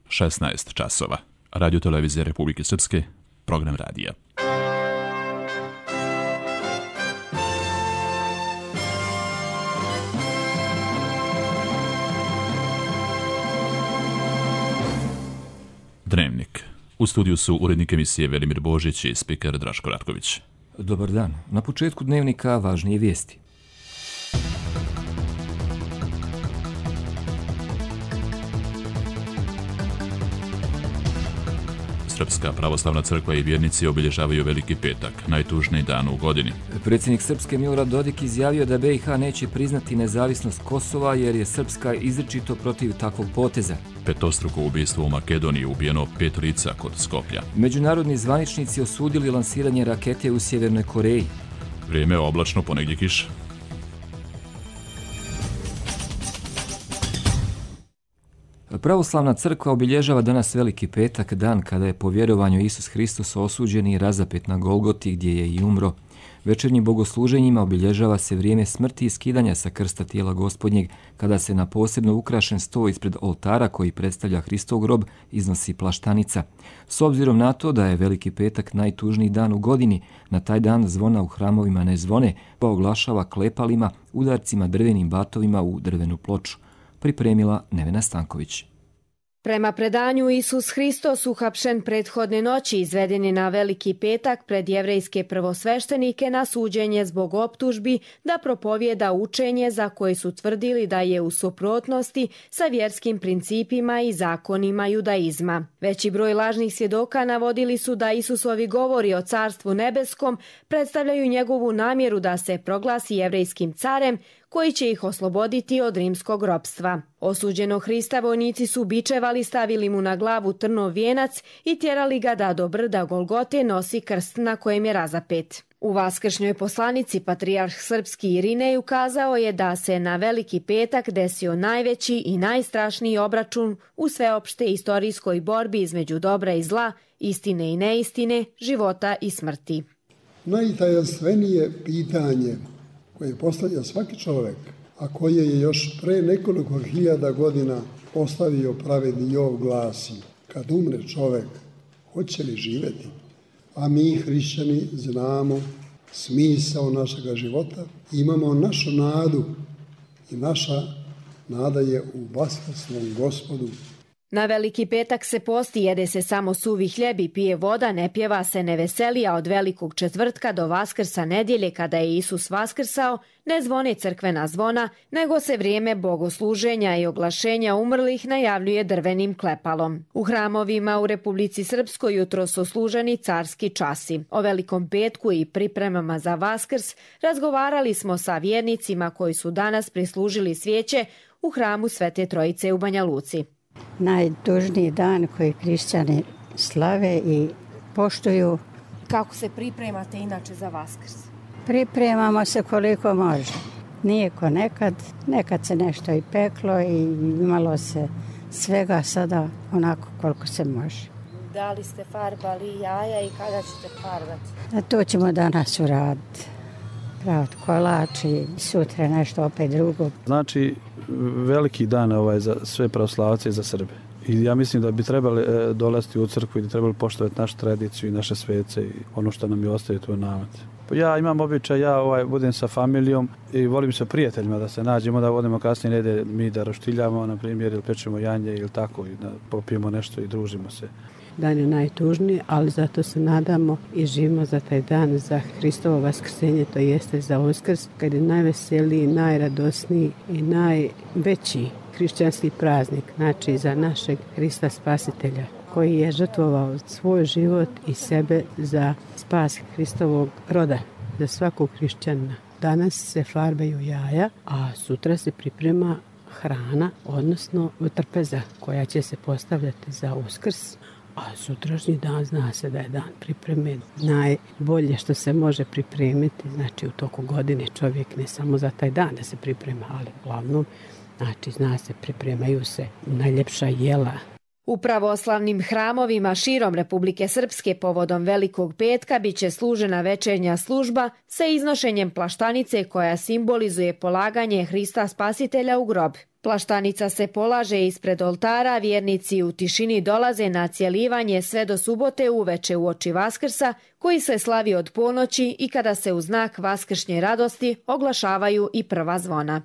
16 časova. Radio televizija Republike Srpske, program radija. Dnevnik. U studiju su urednik emisije Velimir Božić i spiker Draško Ratković. Dobar dan. Na početku dnevnika važnije vijesti. Srpska pravoslavna crkva i vjernici obilježavaju Veliki petak, najtužniji dan u godini. Predsjednik Srpske Milorad Dodik izjavio da BiH neće priznati nezavisnost Kosova jer je Srpska izričito protiv takvog poteza. Petostruko ubistvo u Makedoniji, ubijeno 5 lica kod Skoplja. Međunarodni zvaničnici osudili lansiranje rakete u Sjevernoj Koreji. Vrijeme oblačno, ponegdje kiša. Pravoslavna crkva obilježava danas Veliki petak, dan kada je po vjerovanju Isus Hristos osuđen i razapet na Golgoti gdje je i umro. Večernjim bogosluženjima obilježava se vrijeme smrti i skidanja sa krsta tijela Gospodnjeg, kada se na posebno ukrašen sto ispred oltara koji predstavlja Hristov grob iznosi plaštanica. S obzirom na to da je Veliki petak najtužniji dan u godini, na taj dan zvona u hramovima ne zvone, pa oglašava klepalima, udarcima drvenim batovima u drvenu ploču. Pripremila Nevena Stanković. Prema predanju, Isus Hristos uhapšen prethodne noći izveden je na Veliki petak pred jevrejske prvosveštenike na suđenje zbog optužbi da propovijeda učenje za koje su tvrdili da je u suprotnosti sa vjerskim principima i zakonima judaizma. Veći broj lažnih svjedoka navodili su da Isusovi govori o Carstvu nebeskom predstavljaju njegovu namjeru da se proglasi jevrejskim carem koji će ih osloboditi od rimskog ropstva. Osuđenog Hrista vojnici su bičevali, stavili mu na glavu trnov vijenac i tjerali ga da do brda Golgote nosi krst na kojem je razapet. U vaskršnjoj poslanici patrijarh srpski Irinej ukazao je da se na Veliki petak desio najveći i najstrašniji obračun u sveopšte istorijskoj borbi između dobra i zla, istine i neistine, života i smrti. Najtajanstvenije pitanje koje postavlja svaki čovjek, a koje je još pre nekoliko hiljada godina postavio pravedni Jov, glasi: kad umre čovjek, hoće li živjeti? A mi, hrišćani, znamo smisao našega života, imamo našu nadu i naša nada je u vaskrsnom Gospodu. Na Veliki petak se posti, jede se samo suvi hljeb i pije voda, ne pjeva se, ne veseli, a od Velikog četvrtka do Vaskrsa nedjelje, kada je Isus vaskrsao, ne zvone crkvena zvona, nego se vrijeme bogosluženja i oglašenja umrlih najavljuje drvenim klepalom. U hramovima u Republici Srpskoj jutro su služeni carski časi. O Velikom petku i pripremama za Vaskrs razgovarali smo sa vjernicima koji su danas prislužili svijeće u hramu Svete Trojice u Banja Luci. Najtužniji dan koji hrišćani slave i poštuju. Kako se pripremate inače za Vaskrs? Pripremamo se koliko može. Nije ko nekad. Nekad se nešto i peklo i imalo se svega, sada onako koliko se može. Da li ste farbali jaja i kada ćete farbati? To ćemo danas uraditi. Praviti kolač i sutra nešto opet drugo. Znači, veliki dan za sve pravoslavce i za Srbe. I ja mislim da bi trebali dolaziti u crkvu i da trebali poštovati našu tradiciju i naše svece i ono što nam je ostaje, to je namet. Ja imam običaj, budem sa familijom i volim sa prijateljima da se nađemo, da vodimo kasnije nede, mi da roštiljamo, na primjer, ili pečemo janje ili tako, i da popijemo nešto i družimo se. Dan je najtužniji, ali zato se nadamo i živimo za taj dan, za Hristovo vaskrsenje, to jeste za Uskrs, kad je najveseliji, najradosniji i najveći hrišćanski praznik, znači za našeg Hrista Spasitelja, koji je žrtvovao svoj život i sebe za spas Hristovog roda, za svakog hrišćanina. Danas se farbaju jaja, a sutra se priprema hrana, odnosno trpeza koja će se postavljati za Uskrs. A sutrašnji dan zna se da je dan pripreme najbolje što se može pripremiti. Znači u toku godine čovjek ne samo za taj dan da se priprema, ali uglavnom, znači zna se, pripremaju se najljepša jela. U pravoslavnim hramovima širom Republike Srpske povodom Velikog petka biće služena večernja služba sa iznošenjem plaštanice koja simbolizuje polaganje Hrista Spasitelja u grob. Plaštanica se polaže ispred oltara, vjernici u tišini dolaze na cjelivanje sve do subote uveče uoči Vaskrsa, koji se slavi od ponoći i kada se u znak vaskršnje radosti oglašavaju i prva zvona.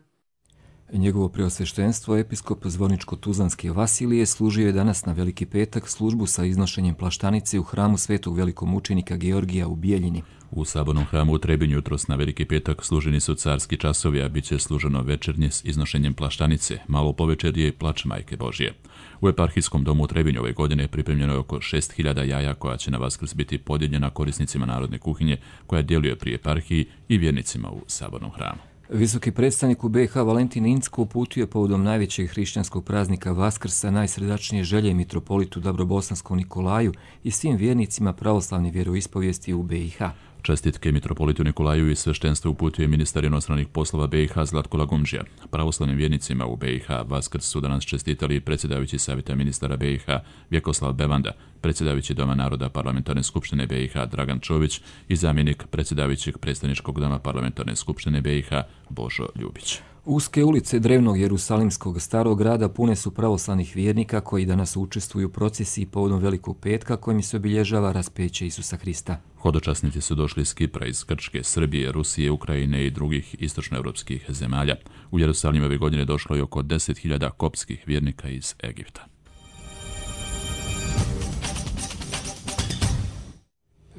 Njegovo preosveštenstvo, episkop Zvorničko-Tuzlanske Vasilije, služio je danas na Veliki petak službu sa iznošenjem plaštanice u hramu svetog velikomučenika Georgija u Bijeljini. U sabornom hramu u Trebinju jutros na Veliki petak služeni su carski časovi, a bit će služeno večernje s iznošenjem plaštanice, malo povečerje i plač Majke Božije. U eparhijskom domu u Trebinju ove godine pripremljeno je oko 6.000 jaja koja će na Vaskrs biti podijeljena korisnicima narodne kuhinje koja djeluje pri eparhiji i vjernicima u sabornom hramu. Visoki predstavnik u BiH Valentin Incko uputio je povodom najvećeg hrišćanskog praznika Vaskrsa najsrdačnije želje mitropolitu Dabrobosanskom Nikolaju i svim vjernicima pravoslavne vjeroispovijesti u BiH. Čestitke mitropolitu Nikolaju i sveštenstvo uputio je ministar inostranih poslova BiH Zlatko Lagumdžija. Pravoslavnim vjernicima u BiH Vaskrs su danas čestitali predsjedavajući savjeta ministara BiH Vjekoslav Bevanda, predsjedavajući Doma naroda Parlamentarne skupštine BiH Dragan Čović i zamjenik predsjedavajućeg predstavničkog doma Parlamentarne skupštine BiH Božo Ljubić. Uske ulice drevnog Jerusalimskog starog grada pune su pravoslavnih vjernika koji danas učestvuju u procesiji povodom Velikog petka kojim se obilježava raspeće Isusa Hrista. Hodočasnici su došli iz Kipra, iz Grčke, Srbije, Rusije, Ukrajine i drugih istočnoevropskih zemalja. U Jerusalim ove godine došlo je oko 10.000 koptskih vjernika iz Egipta.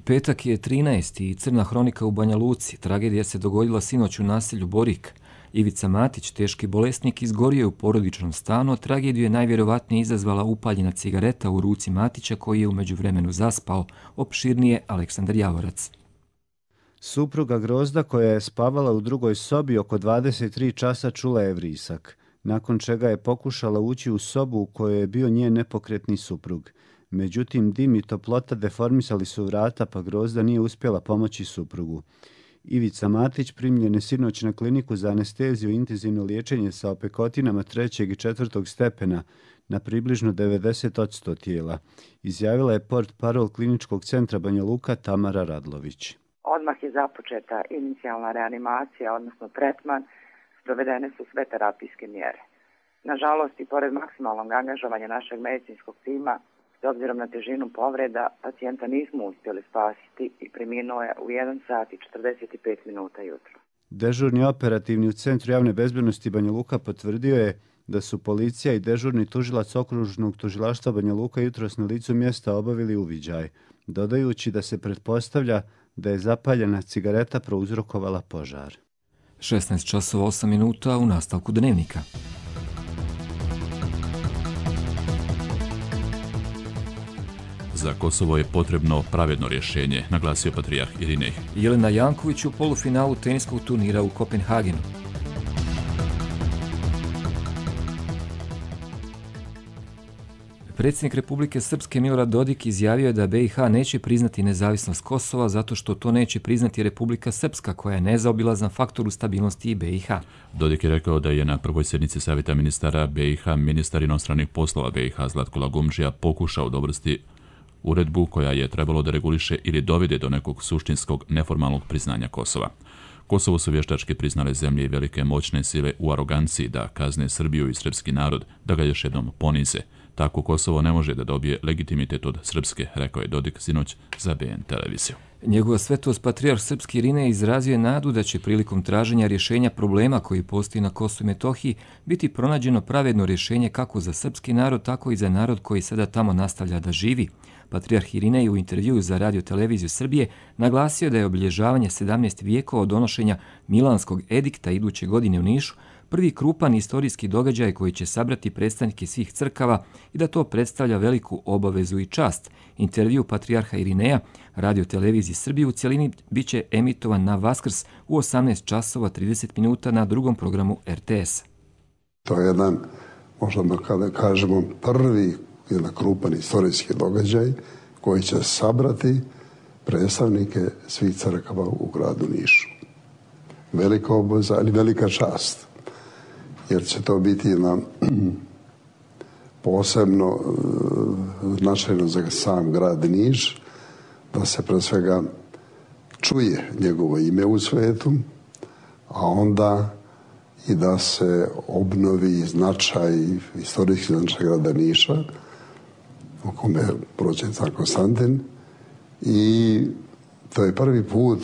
Petak je 13. i crna hronika u Banja Luci. Tragedija se dogodila sinoć u naselju Borik. Ivica Matić, teški bolesnik, izgorio je u porodičnom stanu. Tragediju je najvjerovatnije izazvala upaljena cigareta u ruci Matića koji je u međuvremenu zaspao. Opširnije Aleksandar Javorac. Supruga Grozda, koja je spavala u drugoj sobi oko 23 časa, čula je vrisak, nakon čega je pokušala ući u sobu u kojoj je bio njen nepokretni suprug. Međutim, dim i toplota deformisali su vrata, pa Grozda nije uspjela pomoći suprugu. Ivica Matić primljen je sinoć na kliniku za anesteziju i intenzivno liječenje sa opekotinama 3. i 4. stepena na približno 90% tijela, izjavila je portparol kliničkog centra Banja Luka Tamara Radlović. Odmah je započeta inicijalna reanimacija, odnosno tretman, provedene su sve terapijske mjere. Nažalost, i pored maksimalnog angažovanja našeg medicinskog tima, s obzirom na težinu povreda, pacijenta nismo uspjeli spasiti i preminuo je u 1 sat i 45 minuta jutro. Dežurni operativni u Centru javne bezbednosti Banja Luka potvrdio je da su policija i dežurni tužilac okružnog tužilaštva Banja Luka jutros na licu mjesta obavili uviđaj, dodajući da se pretpostavlja da je zapaljena cigareta prouzrokovala požar. 16 časova 8 minuta u nastavku dnevnika. Za Kosovo je potrebno pravedno rješenje, naglasio patrijarh Irinej. Jelena Janković u polufinalu teniskog turnira u Kopenhagenu. Predsjednik Republike Srpske Milorad Dodik izjavio je da BiH neće priznati nezavisnost Kosova zato što to neće priznati Republika Srpska koja je nezaobilazan faktor u stabilnosti BiH. Dodik je rekao da je na prvoj sjednici savjeta ministara BiH ministar inostranih poslova BiH Zlatko Lagumdžija pokušao dobrsti uredbu koja je trebalo da reguliše ili dovede do nekog suštinskog neformalnog priznanja Kosova. Kosovo su vještački priznale zemlje i velike moćne sile u aroganciji da kazne Srbiju i srpski narod, da ga još jednom ponize. Tako Kosovo ne može da dobije legitimitet od Srpske, rekao je Dodik sinoć za BN televiziju. Njegova svetost patrijarh Srpski Irinej izrazio je nadu da će prilikom traženja rješenja problema koji postoji na Kosovu i Metohiji biti pronađeno pravedno rješenje kako za srpski narod, tako i za narod koji sada tamo nastavlja da živi. Patrijarh Irinej u intervjuu za Radio televiziju Srbije naglasio da je obilježavanje 17 vijekova od donošenja Milanskog edikta iduće godine u Nišu prvi krupan istorijski događaj koji će sabrati predstavnike svih crkava i da to predstavlja veliku obavezu i čast. Intervju patrijarha Irineja Radio televiziji Srbije u cjelini bit će emitovan na Vaskrs u 18 časova 30 minuta na drugom programu RTS. To je jedan, možda kada kažemo, prvi jedan krupan istorijski događaj koji će sabrati predstavnike svih crkava u gradu Nišu. Velika obaveza, ali velika čast. Jer će to biti jedna posebno značajno za sam grad Niš, da se pre svega čuje njegovo ime u svetu, a onda i da se obnovi značaj, istorijski značaj grada Niša, u kome prođe car Konstantin. I to je prvi put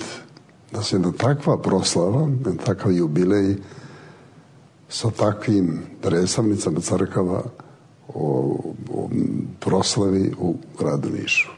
da se jedna takva proslava, jedan takav jubilej sa takvim predstavnicama crkava o proslavi u gradu Nišu.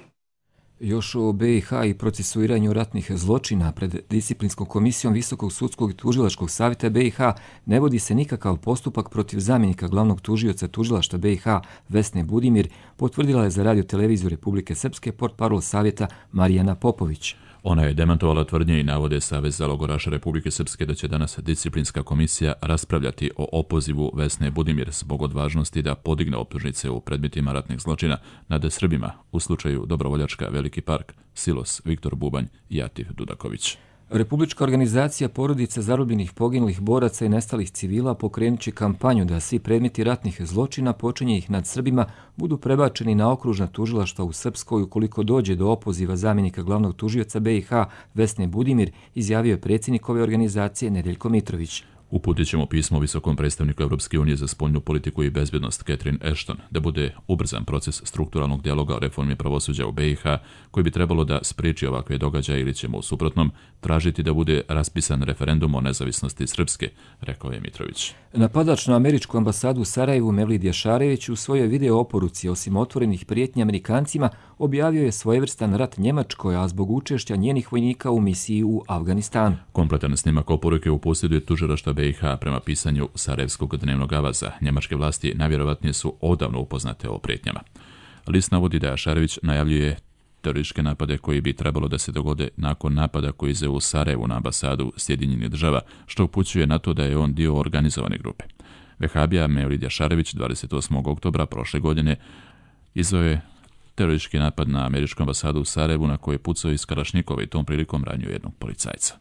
Još o BiH i procesuiranju ratnih zločina pred disciplinskom komisijom Visokog sudskog i tužilačkog savjeta BiH ne vodi se nikakav postupak protiv zamjenika glavnog tužioca tužilaštva BiH Vesne Budimir, potvrdila je za Radio televiziju Republike Srpske portparol savjeta Marijana Popović. Ona je demantovala tvrdnje i navode Saveza logoraša Republike Srpske da će danas disciplinska komisija raspravljati o opozivu Vesne Budimir zbog odvažnosti da podigne optužnice u predmetima ratnih zločina nad Srbima u slučaju Dobrovoljačka Veliki park, Silos, Viktor Bubanj i Atif Dudaković. Republička organizacija porodica zarobljenih poginulih boraca i nestalih civila pokrenut će kampanju da svi predmeti ratnih zločina počinjenih nad Srbima budu prebačeni na okružna tužilaštva u Srpskoj ukoliko dođe do opoziva zamjenika glavnog tužioca BiH Vesne Budimir, izjavio je predsjednik ove organizacije Nedeljko Mitrović. Uputit ćemo pismo visokom predstavniku Europske unije za spoljnu politiku i bezbjednost Catherine Ashton da bude ubrzan proces strukturalnog dijaloga o reformi pravosuđa u BiH koji bi trebalo da spriječi ovakve događaje ili ćemo u suprotnom tražiti da bude raspisan referendum o nezavisnosti Srpske, rekao je Mitrović. Napadač na američku ambasadu u Sarajevu Mevlid Jašarević u svojoj video oporuci osim otvorenih prijetnji Amerikancima objavio je svojevrstan rat Njemačkoj, a zbog učešća njenih vojnika u misiji u Afganistanu. Kompletan snimak oporuke u posjeduje tužilaštva BiH prema pisanju Sarajevskog dnevnog avaza. Njemačke vlasti najvjerovatnije su odavno upoznate o prijetnjama. List navodi da Jašarević najavljuje terorističke napade koji bi trebalo da se dogode nakon napada koji izveo u Sarajevu na ambasadu Sjedinjenih država, što upućuje na to da je on dio organizovane grupe. Vehabija Mevlid Jašarević 28. oktobra prošle godine izveo je teroristički napad na američku ambasadu u Sarajevu na koje je pucao iz Kalašnikova i tom prilikom ranio jednog policajca.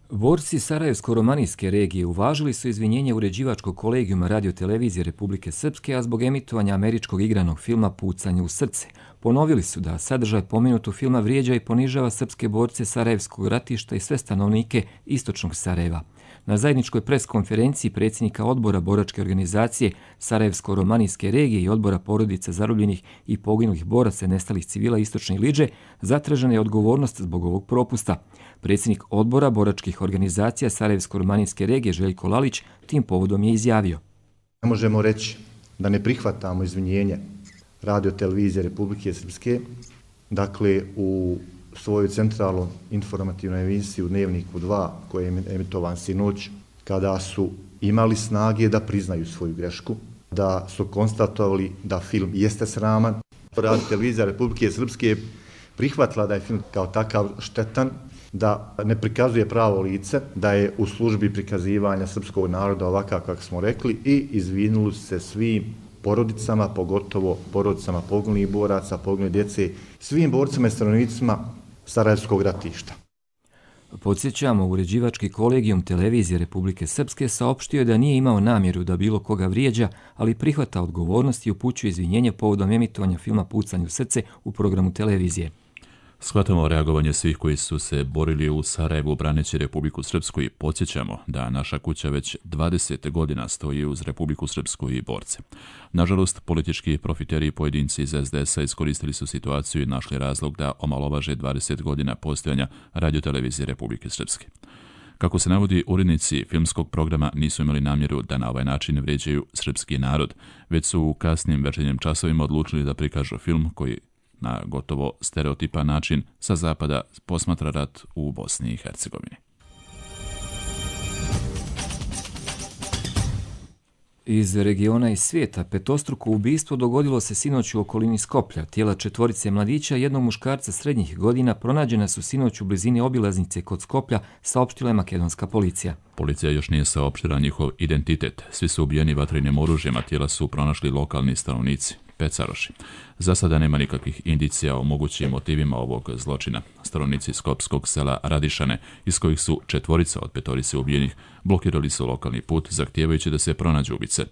Borci Sarajevsko-romanijske regije uvažili su izvinjenje uređivačkog kolegijuma Radio televizije Republike Srpske, a zbog emitovanja američkog igranog filma Pucanje u srce. Ponovili su da sadržaj pomenutog filma vrijeđa i ponižava srpske borce Sarajevskog ratišta i sve stanovnike istočnog Sarajeva. Na zajedničkoj preskonferenciji predsjednika odbora boračke organizacije Sarajevsko-romanijske regije i odbora porodica zarobljenih i poginulih boraca i nestalih civila istočne Iliđe zatražena je odgovornost zbog ovog propusta. Predsjednik odbora boračkih organizacija Sarajevsko-romanijske regije Željko Lalić tim povodom je izjavio. Ne možemo reći da ne prihvatamo izvinjenje Radio televizije Republike Srpske, dakle u svoju centralnu informativnu emisiju Dnevniku 2 koji je emitovan sinoć, kada su imali snage da priznaju svoju grešku, da su konstatovali da film jeste sraman. Radio televizija Republike Srpske prihvatila da je film kao takav štetan, da ne prikazuje pravo lice, da je u službi prikazivanja srpskog naroda ovakav kako smo rekli i izvinuli se svim porodicama, pogotovo porodicama poginulih boraca, poginule djece, svim borcima i stanovnicima Sarajevskog ratišta. Podsjećamo, uređivački kolegijum televizije Republike Srpske saopštio je da nije imao namjeru da bilo koga vrijeđa, ali prihvata odgovornost i upućuje izvinjenje povodom emitovanja filma Pucanje u srce u programu televizije. Shvatamo reagovanje svih koji su se borili u Sarajevu braneći Republiku Srpsku i podsjećamo da naša kuća već 20 godina stoji uz Republiku Srpsku i borce. Nažalost, politički profiteri i pojedinci iz SDS-a iskoristili su situaciju i našli razlog da omalovaže 20 godina postojanja radiotelevizije Republike Srpske. Kako se navodi, urednici filmskog programa nisu imali namjeru da na ovaj način vrijeđaju srpski narod, već su u kasnim večernjim časovima odlučili da prikažu film koji na gotovo stereotipan način sa zapada posmatra rat u Bosni i Hercegovini. Iz regiona i svijeta petostruko ubistvo dogodilo se sinoć u okolini Skoplja. Tijela 4 mladića i jednog muškarca srednjih godina pronađena su sinoć u blizini obilaznice kod Skoplja, saopštila je makedonska policija. Policija još nije saopštila njihov identitet. Svi su ubijeni vatrenim oružjem, a tijela su pronašli lokalni stanovnici. Pecaroši. Za sada nema nikakvih indicija o mogućim motivima ovog zločina. Stanovnici skopskog sela Radišane, iz kojih su 4 od 5 ubijenih, blokirali su lokalni put, zahtijevajući da se pronađu ubice.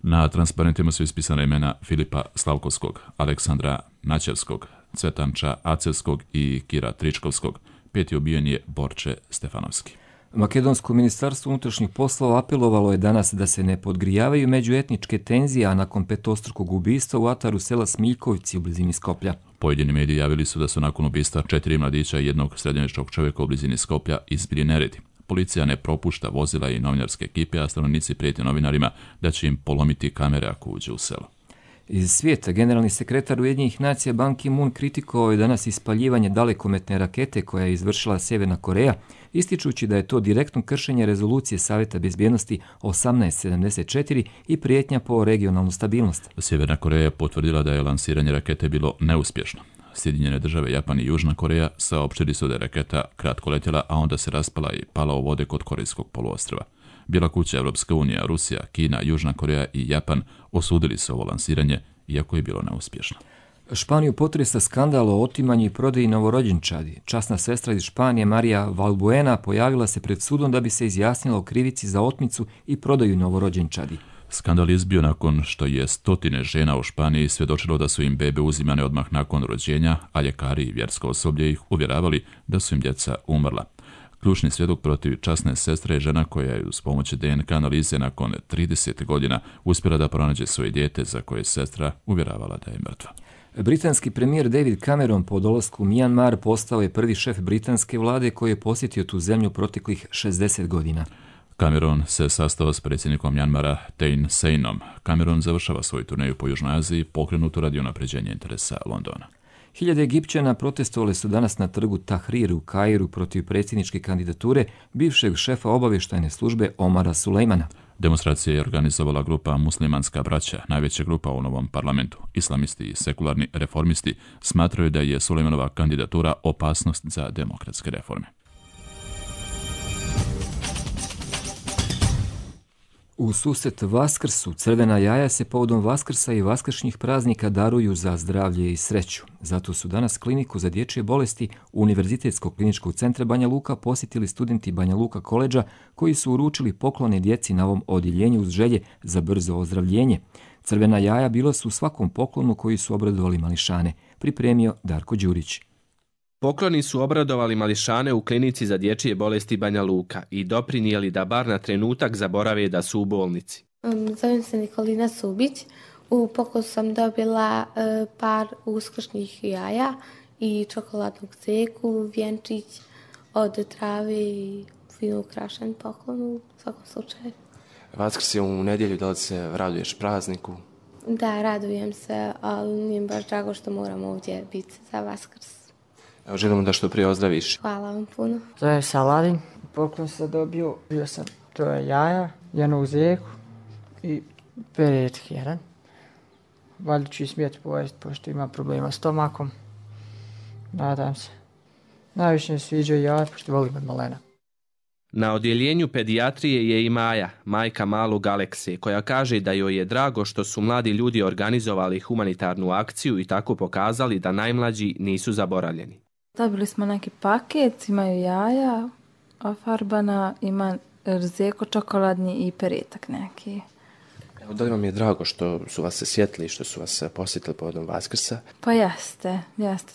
Na transparentima su ispisana imena Filipa Slavkovskog, Aleksandra Načevskog, Cvetanča Acevskog i Kira Tričkovskog. 5. ubijen je Borče Stefanovski. Makedonsko ministarstvo unutrašnjih poslova apelovalo je danas da se ne podgrijavaju međuetničke tenzije, a nakon petostrukog ubistva u ataru sela Smiljkovci u blizini Skoplja. Pojedini mediji javili su da su nakon ubistva 4 mladića i jednog srednjovječnog čovjeka u blizini Skoplja izbili neredi. Policija ne propušta vozila i novinarske ekipe, a stanovnici prijete novinarima da će im polomiti kamere ako uđe u selo. Iz svijeta, generalni sekretar Ujedinjenih nacija Ban Ki-moon kritikovao je danas ispaljivanje dalekometne rakete koja je izvršila Sjeverna Koreja, ističući da je to direktno kršenje rezolucije Savjeta bezbjednosti 1874 i prijetnja po regionalnu stabilnost. Sjeverna Koreja je potvrdila da je lansiranje rakete bilo neuspješno. Sjedinjene države, Japan i Južna Koreja saopćili su da je raketa kratko letjela, a onda se raspala i pala u vode kod Korejskog poluostrva. Bijela kuća, Europska unija, Rusija, Kina, Južna Koreja i Japan osudili su ovo lansiranje, iako je bilo neuspješno. Španiju potresa skandal o otimanju i prodaji novorođenčadi. Časna sestra iz Španije Marija Valbuena pojavila se pred sudom da bi se izjasnila o krivici za otmicu i prodaju novorođenčadi. Skandal izbio nakon što je stotine žena u Španiji svjedočilo da su im bebe uzimane odmah nakon rođenja, a ljekari i vjersko osoblje ih uvjeravali da su im djeca umrla. Ključni svjedok protiv časne sestre je žena koja je uz pomoć DNK analize nakon 30 godina uspjela da pronađe svoje dijete za koje je sestra uvjeravala da je mrtva. Britanski premijer David Cameron po dolasku u Mijanmar postao je prvi šef britanske vlade koji je posjetio tu zemlju proteklih 60 godina. Cameron se sastao s predsjednikom Mjanmara Thein Seinom. Cameron završava svoju turneju po Južnoj Aziji, pokrenutu radi unapređenja interesa Londona. Hiljade Egipćana protestovali su danas na trgu Tahrir u Kairu protiv predsjedničke kandidature bivšeg šefa obavještajne službe Omara Sulejmana. Demonstracija je organizovala grupa Muslimanska braća, najveća grupa u novom parlamentu. Islamisti i sekularni reformisti smatraju da je Sulejmanova kandidatura opasnost za demokratske reforme. U susret Vaskrsu crvena jaja se povodom Vaskrsa i vaskršnjih praznika daruju za zdravlje i sreću. Zato su danas kliniku za dječje bolesti Univerzitetskog kliničkog centra Banja Luka posjetili studenti Banja Luka koledža koji su uručili poklone djeci na ovom odjeljenju uz želje za brzo ozdravljenje. Crvena jaja bila su u svakom poklonu koji su obradovali mališane, pripremio Darko Đurić. Pokloni su obradovali mališane u klinici za dječje bolesti Banja Luka i doprinijeli da bar na trenutak zaborave da su u bolnici. Zovem se Nikolina Subić. U poklon sam dobila par uskršnjih jaja i čokoladnog ceku, vjenčić od trave i fino ukrašen poklon u svakom slučaju. Vaskrs je u nedjelju, da li se raduješ prazniku? Da, radujem se, ali nije baš drago što moram ovdje biti za Vaskrs. Evo, želimo da što prije ozdraviš. Hvala vam puno. Zovem se Aladin. Poklon sam dobio sam troje jaja, jednu zeku i peretak jedan. Valjda ću i smijeti pojesti, pošto ima problema s stomakom. Nadam se. Najviše mi sviđa jaja, pošto volim od malena. Na odjeljenju pedijatrije je i Maja, majka malog Alekse, koja kaže da joj je drago što su mladi ljudi organizovali humanitarnu akciju i tako pokazali da najmlađi nisu zaboravljeni. Dobili smo neki paket, imaju jaja, ofarbana, ima zeko čokoladni i peretak neki. Evo, da li vam je drago što su vas se sjetili, što su vas posjetili povodom Vaskrsa? Pa jeste,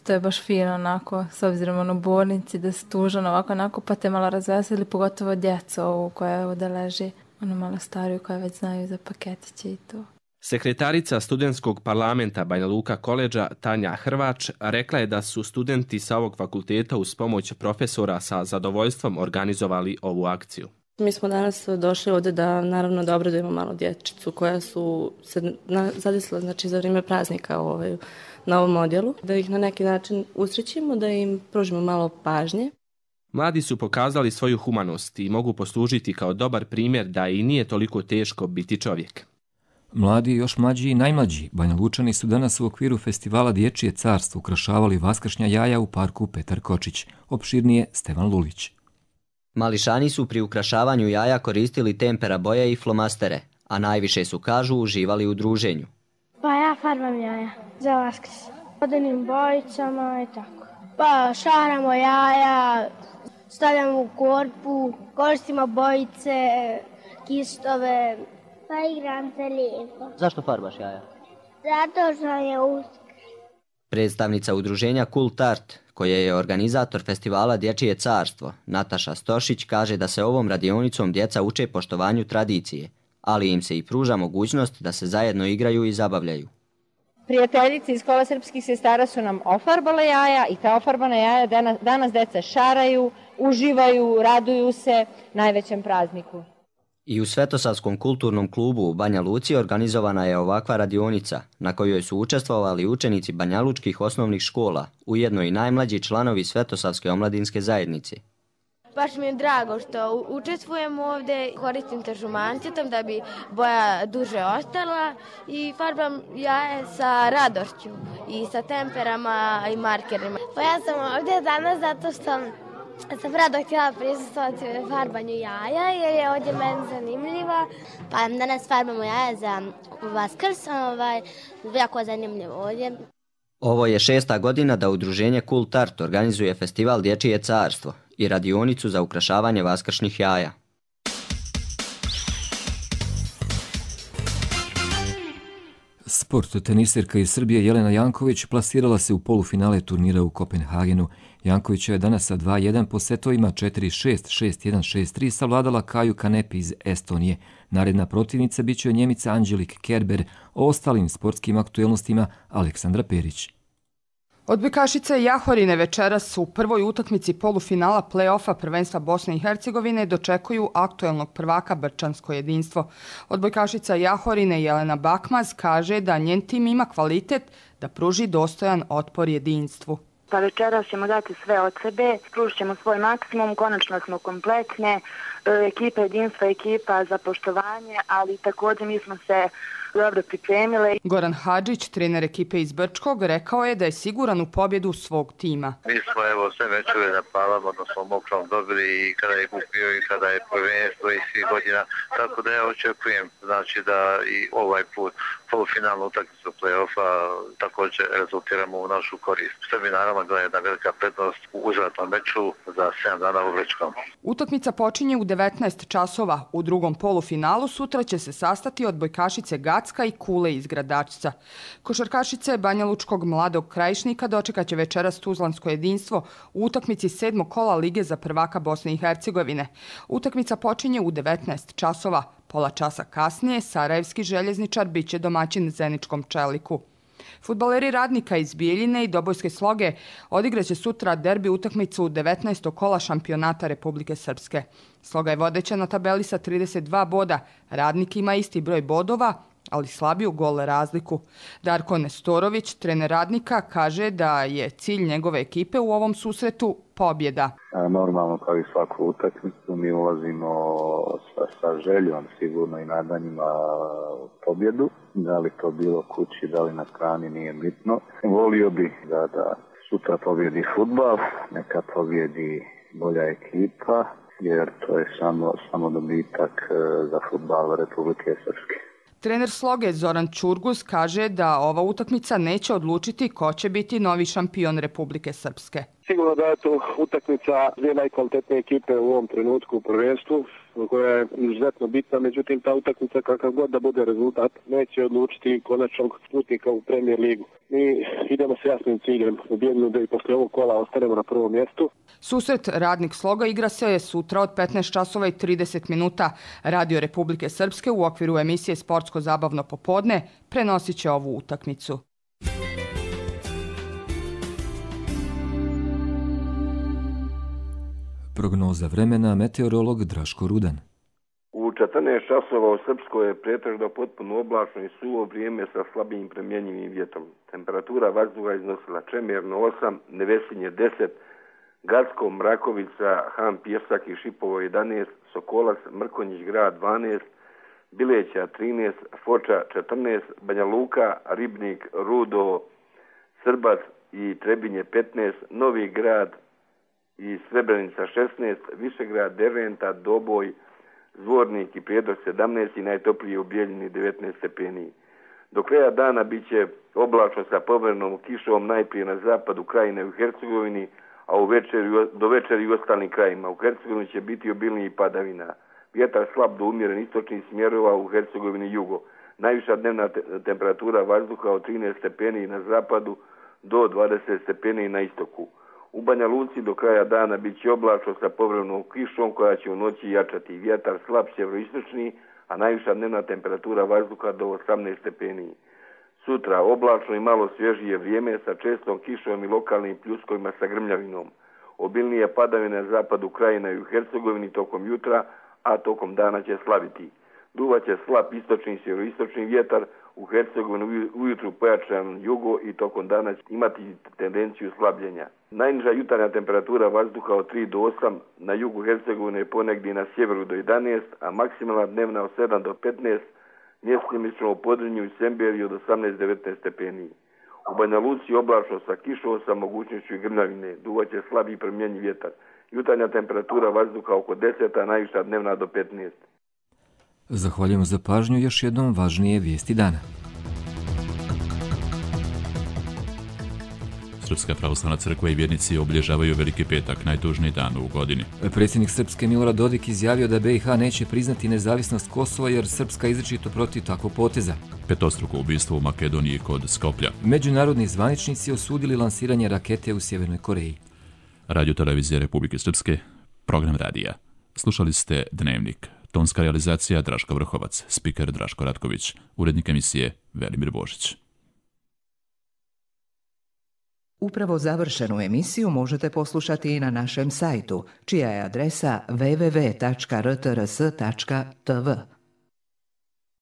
to je baš fino onako, s obzirom na bolnici da se tužan ovako, pa te malo razveseli, pogotovo djecu ovu koja ovdje leži, ono malo stariju koja već znaju za paketiće i to. Sekretarica studentskog parlamenta Banja Luka koledža Tanja Hrvač rekla je da su studenti sa ovog fakulteta uz pomoć profesora sa zadovoljstvom organizovali ovu akciju. Mi smo danas došli ovdje da naravno da obradujemo malo dječicu koja su se zadesila za vrijeme praznika na ovom odjelu, da ih na neki način usrećimo, da im pružimo malo pažnje. Mladi su pokazali svoju humanost i mogu poslužiti kao dobar primjer da i nije toliko teško biti čovjek. Mladi, još mlađi i najmlađi Banja Lučani su danas u okviru festivala Dječje carstvo ukrašavali vaskršnja jaja u parku Petar Kočić. Opširnije Stevan Lulić. Mališani su pri ukrašavanju jaja koristili tempera boje i flomastere, a najviše su, kažu, uživali u druženju. Pa ja farbam jaja za Vaskrs. Vodenim bojicama i tako. Pa šaramo jaja, stavljamo u korpu, koristimo bojice, kistove. Pa igram se lijepo. Zašto farbaš jaja? Zato što je Uskrs. Predstavnica udruženja Kult Art, koje je organizator festivala Dječje carstvo, Nataša Stošić, kaže da se ovom radionicom djeca uče poštovanju tradicije, ali im se i pruža mogućnost da se zajedno igraju i zabavljaju. Prijateljice iz Kola srpskih sestara su nam ofarbale jaja i ta ofarbana jaja danas deca šaraju, uživaju, raduju se najvećem prazniku. I u Svetosavskom kulturnom klubu u Banja Luci organizovana je ovakva radionica na kojoj su učestvovali učenici banjalučkih osnovnih škola, ujedno i najmlađi članovi Svetosavske omladinske zajednice. Baš mi je drago što učestvujem ovdje, koristim tažumancitom da bi boja duže ostala i farbam jaje sa radošću i sa temperama i markerima. Pa ja sam ovdje danas zato što sam rado htjela prisustvovati farbanju jaja jer je ovdje meni zanimljiva. Pa danas farbamo jaja za Vaskrs, jako je zanimljivo ovdje. Ovo je 6. godina da udruženje Kult Art organizuje festival Dječje carstvo i radionicu za ukrašavanje vaskršnjih jaja. Sport. Tenisirka iz Srbije Jelena Janković plasirala se u polufinale turnira u Kopenhagenu. Janković je danas sa 2-1 po setovima 4-6, 6-1, 6-3 savladala Kaju Kanepi iz Estonije. Naredna protivnica bit će Njemica Angelik Kerber, o ostalim sportskim aktuelnostima Aleksandra Perić. Odbojkašice Jahorine večeras u prvoj utakmici polufinala play-offa prvenstva Bosne i Hercegovine dočekuju aktuelnog prvaka Brčansko jedinstvo. Odbojkašica Jahorine Jelena Bakmaz kaže da njen tim ima kvalitet da pruži dostojan otpor jedinstvu. Pa večeras ćemo dati sve od sebe, pružit ćemo svoj maksimum, konačno smo kompletne, ekipa jedinstva, ekipa za poštovanje, ali također mi smo se dobro pripremile. Goran Hadžić, trener ekipe iz Brčkog, rekao je da je siguran u pobjedu svog tima. Mi smo sve mečeve napalamo, odnosno mokrom dobili i kada je kupio i kada je prvenstvo i svih godina, tako da ja očekujem da i ovaj put polufinalnu utakmicu play-offa također rezultiramo u našu korist. Srbi naravno da je jedna velika prednost u uzvratnom meču za 7 dana u Brčkom. Utakmica počinje u 19 časova. U drugom polufinalu sutra će se sastati odbojkašice Gacka i Kule iz Gradačca. Košarkašice Banjalučkog Mladog Krajišnika dočekat će večeras Tuzlansko jedinstvo u utakmici 7. kola Lige za prvaka Bosne i Hercegovine. Utakmica počinje u 19 časova. Pola časa kasnije sarajevski željezničar biće domaćin Zeničkom Čeliku. Fudbaleri Radnika iz Bijeljine i Dobojske Sloge odigraće sutra derbi utakmicu 19. kola šampionata Republike Srpske. Sloga je vodeća na tabeli sa 32 boda. Radnik ima isti broj bodova, ali slabiju gol razliku. Darko Nestorović, trener Radnika, kaže da je cilj njegove ekipe u ovom susretu pobjeda. Normalno kao i svaku utakmicu mi ulazimo sa željom sigurno i nadanjima pobjedu. Da li to bilo kući, da li na strani, nije bitno. Volio bih da sutra pobjedi fudbal, neka pobjedi bolja ekipa, jer to je samo dobitak za fudbal Republike Srpske. Trener Sloge Zoran Čurguz kaže da ova utakmica neće odlučiti ko će biti novi šampion Republike Srpske. Sigurno da je to utakmica dvije najkvalitetnije ekipe u ovom trenutku u prvenstvu, koja je izuzetno bitna, međutim ta utakmica kakav god da bude rezultat neće odlučiti konačnog putnika u Premier ligu. Mi idemo s jasnim ciljem u Bijeljinu da i posle ovog kola ostanemo na prvom mjestu. Susret Radnik Sloga igra se sutra od 15 časova i 30 minuta. Radio Republike Srpske u okviru emisije Sportsko zabavno popodne prenosit će ovu utakmicu. Prognoza vremena, meteorolog Draško Rudan. U 14 časova u Srpskoj je pretežno potpuno oblačno i suvo vrijeme sa slabijim promjenjivim vjetrom. Temperatura vazduha iznosila Čemerno 8, Nevesinje 10, Gacko, Mrakovica, Han, Pjesak i Šipovo 11, Sokolac, Mrkonjić grad 12, Bileća 13, Foča 14, Banja Luka, Ribnik, Rudo, Srbac i Trebinje 15, Novi grad i Srebrenica 16, Višegrad, Derventa, Doboj, Zvornik i Prijedor 17 i najtoplije u Bijeljini 19 stepeni. Do kraja dana bit će oblačno sa povremenom kišom najprije na zapadu krajine u Hercegovini, a do večeri u ostalim krajima. U Hercegovini će biti obilniji padavina. Vjetar slab do umjeren istočnih smjerova u Hercegovini jugo. Najviša dnevna temperatura vazduha od 13 stepeni na zapadu do 20 stepeni na istoku. U Banja Luci do kraja dana bit će oblačno sa povremenom kišom koja će u noći jačati vjetar slab sjeveroistočni, a najviša dnevna temperatura vazduha do 18 stepeni. Sutra oblačno i malo svježije vrijeme sa čestom kišom i lokalnim pljuskovima sa grmljavinom. Obilnije padavine na zapadu krajina i u Hercegovini tokom jutra, a tokom dana će slabiti. Duvaće slab istočni i sjeveroistočni vjetar, u Hercegovini ujutru pojačan jugo i tokom dana će imati tendenciju slabljenja. Najniža jutarnja temperatura vazduha od 3 do 8, na jugu Hercegovine ponegdje na sjeveru do 11, a maksimalna dnevna od 7 do 15, mjesečimo u Podrinju i Semberiju od 18-19 stepeni. U Banja Luci oblačno sa kišom sa mogućnošću grmljavine, duvaće slab i promjenjiv vjetar. Jutarnja temperatura vazduha oko 10, a najviša dnevna do 15. Zahvaljujemo za pažnju, još jednom važnije vijesti dana. Srpska pravoslavna crkva i vjernici obilježavaju Veliki petak, najtužniji dan u godini. Predsjednik Srpske Milorad Dodik izjavio da BiH neće priznati nezavisnost Kosova jer Srpska izričito protiv takvog poteza. Petostruko ubistvo u Makedoniji kod Skoplja. Međunarodni zvaničnici osudili lansiranje rakete u Sjevernoj Koreji. Radio televizije Republike Srpske, program radija. Slušali ste Dnevnik. Tonska realizacija Draško Vrhovac, spiker Draško Ratković, urednik emisije Velimir Božić. Upravo završenu emisiju možete poslušati i na našem sajtu, čija je adresa www.rtrs.tv.